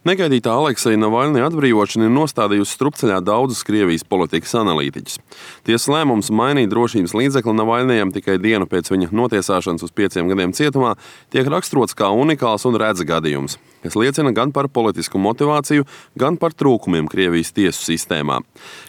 Negaidītā Alekseja Navalņa atbrīvošana ir nostādījusi strupceļā daudzus Krievijas politikas analītiķus. Tiesas lēmums mainīt drošības līdzekli Navalņajam tikai dienu pēc viņa notiesāšanas uz 5 gadiem cietumā tiek raksturots kā unikāls un redz gadījums, kas liecina gan par politisku motivāciju, gan par trūkumiem Krievijas tiesu sistēmā.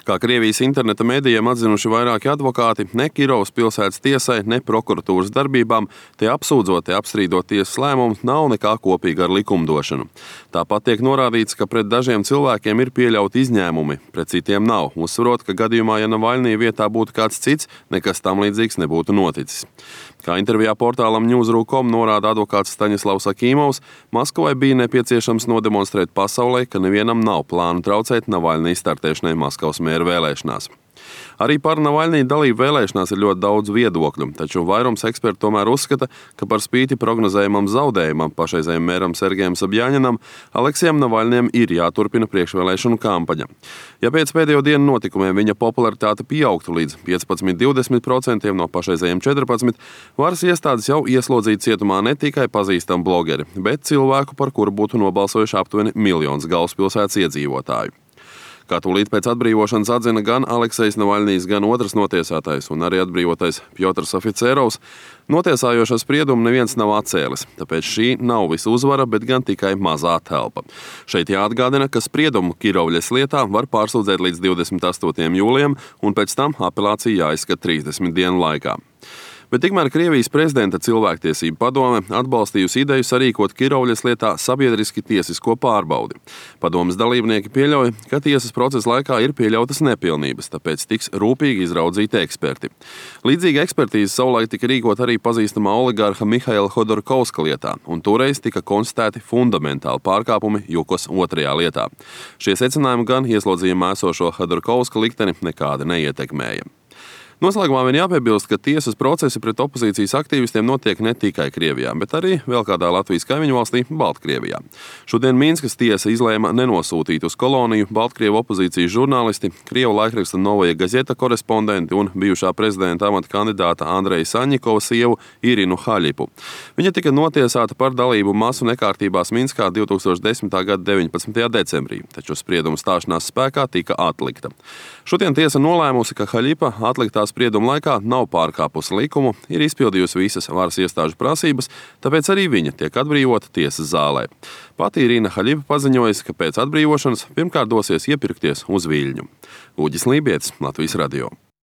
Kā Krievijas interneta medijiem atzinuši vairāki advokāti, ne Kirovas pilsētas tiesai, ne prokuratūras darbībām, te apsūdzot, te apstrīdot tiesas lēmumu, nav nekā kopīga ar likumdošanu. Tāpat tiek norādīts, ka pret dažiem cilvēkiem ir pieļauti izņēmumi, pret citiem nav, uzsverot, ka gadījumā, ja Navalņija vietā būtu kāds cits, nekas tam līdzīgs nebūtu noticis. Kā intervijā portālam News.ru.com norāda advokāts Staņislavs Akīmovs, Maskavai bija nepieciešams nodemonstrēt pasaulē, ka nevienam nav plānu traucēt Navalņija startēšanai Maskavas mēra vēlēšanās. Arī par Navalņija dalību vēlēšanās ir ļoti daudz viedokļu, taču vairums ekspertu tomēr uzskata, ka par spīti prognozējumam zaudējumam pašreizējiem mēram Sergejam Sobjaņinam, Aleksejam Navalņijam ir jāturpina priekšvēlēšanu kampaņa. Ja pēc pēdējo dienu notikumiem viņa popularitāte pieaugtu līdz 15–20% no pašreizējiem 14%, varas iestādes jau ieslodzītu cietumā ne tikai pazīstamu blogeri, bet cilvēku, par kuru būtu nobalsojuši aptuveni 1 miljons galvaspilsētas iedzīvotāju. Kā tūlīt pēc atbrīvošanas atzina gan Aleksejs Navalņijs, gan otrs notiesātais un arī atbrīvotais Pjotrs Oficerovs, notiesājošo spriedumu neviens nav atcēlis, tāpēc šī nav visa uzvara, bet gan tikai mazā telpa. Šeit jāatgādina, ka spriedumu Kirovļas lietā var pārsūdzēt līdz 28. jūlijam, un pēc tam apelācija jāizskata 30 dienu laikā. Bet tikmēr Krievijas prezidenta cilvēktiesību padome atbalstījusi ideju sarīkot Kirovļas lietā sabiedriski tiesisko pārbaudi. Padomes dalībnieki pieļauj, ka tiesas procesa laikā ir pieļautas nepilnības, tāpēc tiks rūpīgi izraudzīti eksperti. Līdzīga ekspertīze savulaik tika rīkot arī pazīstamā oligarha Mihaila Hodorkovska lietā, un toreiz tika konstatēti fundamentāli pārkāpumi Jukos 2. lietā. Šie secinājumi gan ieslodzījumā esošo Hodorkovska likteni nekādi neietekmēja. Noslēgumā vien jāpiebilst, ka tiesas procesi pret opozīcijas aktīvistiem notiek ne tikai Krievijā, bet arī vēl kādā Latvijas kaimiņu valstī Baltkrievijā. Šodien Minskas tiesa izlēma nenosūtīt uz koloniju Baltkrievu opozīcijas žurnālisti, Krievu laikraksta Novaja Gazeta korespondenti un bijušā prezidenta amata kandidāta Andreja Saņikova sievu Irinu Haļipu. Viņa tika notiesāta par dalību masu nekārtībās Minskā 2010. gada 19. decembrī, taču sprieduma stāšanās spēkā tika atlikta. Šodien tiesa nolēmusi, ka Haļipa atliktās sprieduma laikā nav pārkāpusi likumu, ir izpildījusi visas varas iestāžu prasības, tāpēc arī viņa tiek atbrīvota tiesas zālē. Pati Irina Haļipa paziņojusi, ka pēc atbrīvošanas pirmkārt dosies iepirkties uz Viļņu. Uģis Lībietis, Latvijas radio.